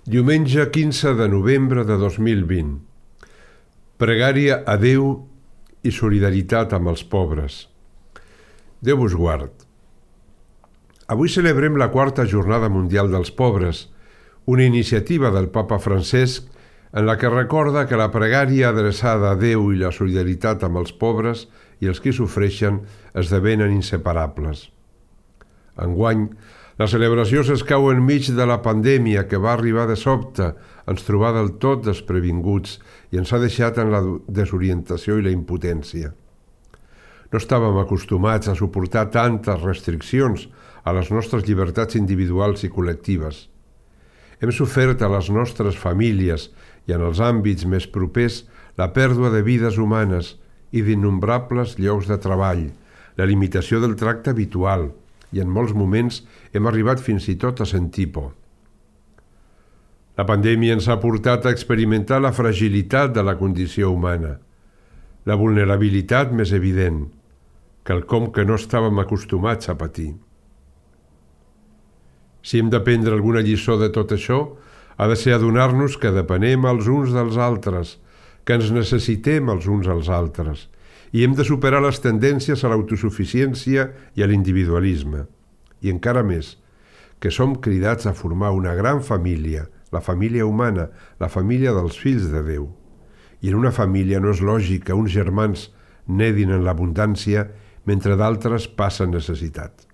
Diumenge 15 de novembre de 2020. Pregària a Déu i solidaritat amb els pobres. Déu vos guard. Avui celebrem la 4a Jornada Mundial dels Pobres, una iniciativa del Papa Francesc en la que recorda que la pregària adreçada a Déu i la solidaritat amb els pobres i els que sofreixen esdevenen inseparables. Enguany, la celebració s'escau enmig de la pandèmia que va arribar de sobte, ens trobà del tot desprevinguts i ens ha deixat en la desorientació i la impotència. No estàvem acostumats a suportar tantes restriccions a les nostres llibertats individuals i col·lectives. Hem sofert a les nostres famílies i en els àmbits més propers la pèrdua de vides humanes i d'innombrables llocs de treball, la limitació del tracte habitual, i en molts moments hem arribat fins i tot a sentir por. La pandèmia ens ha portat a experimentar la fragilitat de la condició humana, la vulnerabilitat més evident, quelcom que no estàvem acostumats a patir. Si hem d'aprendre alguna lliçó de tot això, ha de ser adonar-nos que depenem els uns dels altres, que ens necessitem els uns als altres, i hem de superar les tendències a l'autosuficiència i a l'individualisme. I encara més, que som cridats a formar una gran família, la família humana, la família dels fills de Déu. I en una família no és lògic que uns germans nedin en l'abundància mentre d'altres passen necessitat.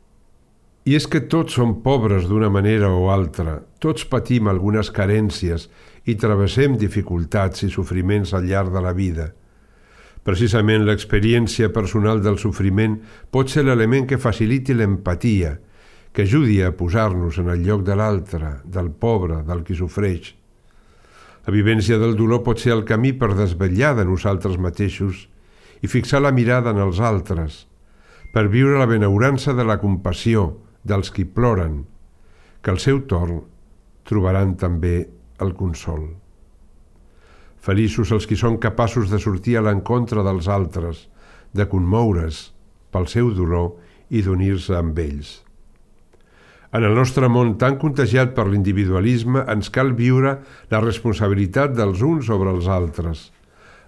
I és que tots som pobres d'una manera o altra, tots patim algunes carències i travessem dificultats i sofriments al llarg de la vida. Precisament l'experiència personal del sofriment pot ser l'element que faciliti l'empatia, que ajudi a posar-nos en el lloc de l'altre, del pobre, del qui sofreix. La vivència del dolor pot ser el camí per desvetllar de nosaltres mateixos i fixar la mirada en els altres, per viure la benaurança de la compassió dels qui ploren, que al seu torn trobaran també el consol. Feliços els qui són capaços de sortir a l'encontre dels altres, de commoure's pel seu dolor i d'unir-se amb ells. En el nostre món tan contagiat per l'individualisme ens cal viure la responsabilitat dels uns sobre els altres.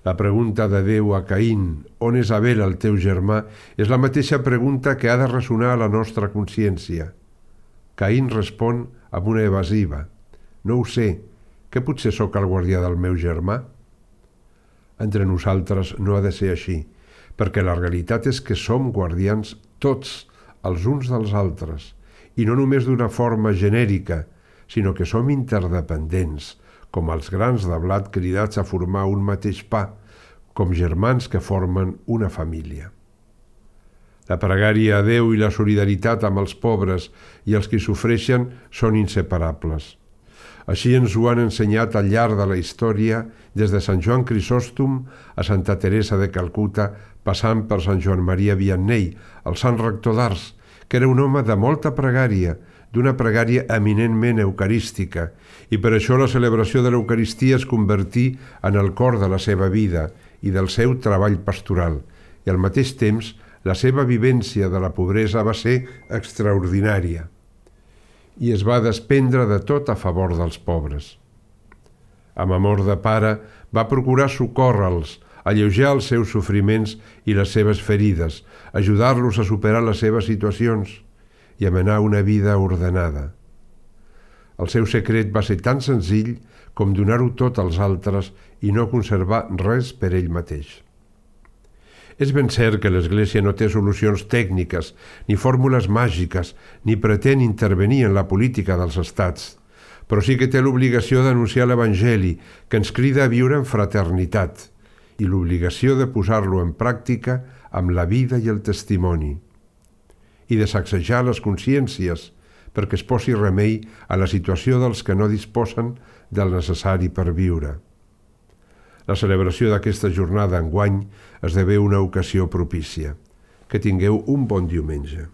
La pregunta de Déu a Caín, on és Abel el teu germà, és la mateixa pregunta que ha de ressonar a la nostra consciència. Caín respon amb una evasiva. No ho sé, que potser sóc el guardià del meu germà? Entre nosaltres no ha de ser així, perquè la realitat és que som guardians tots, els uns dels altres, i no només d'una forma genèrica, sinó que som interdependents, com els grans de blat cridats a formar un mateix pa, com germans que formen una família. La pregària a Déu i la solidaritat amb els pobres i els que sofreixen són inseparables. Així ens ho han ensenyat al llarg de la història, des de Sant Joan Crisòstom a Santa Teresa de Calcuta, passant per Sant Joan Maria Vianney, el sant rector d'Ars, que era un home de molta pregària, d'una pregària eminentment eucarística, i per això la celebració de l'Eucaristia es convertí en el cor de la seva vida i del seu treball pastoral, i al mateix temps la seva vivència de la pobresa va ser extraordinària, i es va despendre de tot a favor dels pobres. Amb amor de pare, va procurar socórrer-los, alleujar els seus sofriments i les seves ferides, ajudar-los a superar les seves situacions i a menar una vida ordenada. El seu secret va ser tan senzill com donar-ho tot als altres i no conservar res per ell mateix. És ben cert que l'Església no té solucions tècniques, ni fórmules màgiques, ni pretén intervenir en la política dels estats, però sí que té l'obligació d'anunciar l'Evangeli, que ens crida a viure en fraternitat, i l'obligació de posar-lo en pràctica amb la vida i el testimoni, i de sacsejar les consciències perquè es posi remei a la situació dels que no disposen del necessari per viure. La celebració d'aquesta jornada enguany esdevé una ocasió propícia. Que tingueu un bon diumenge.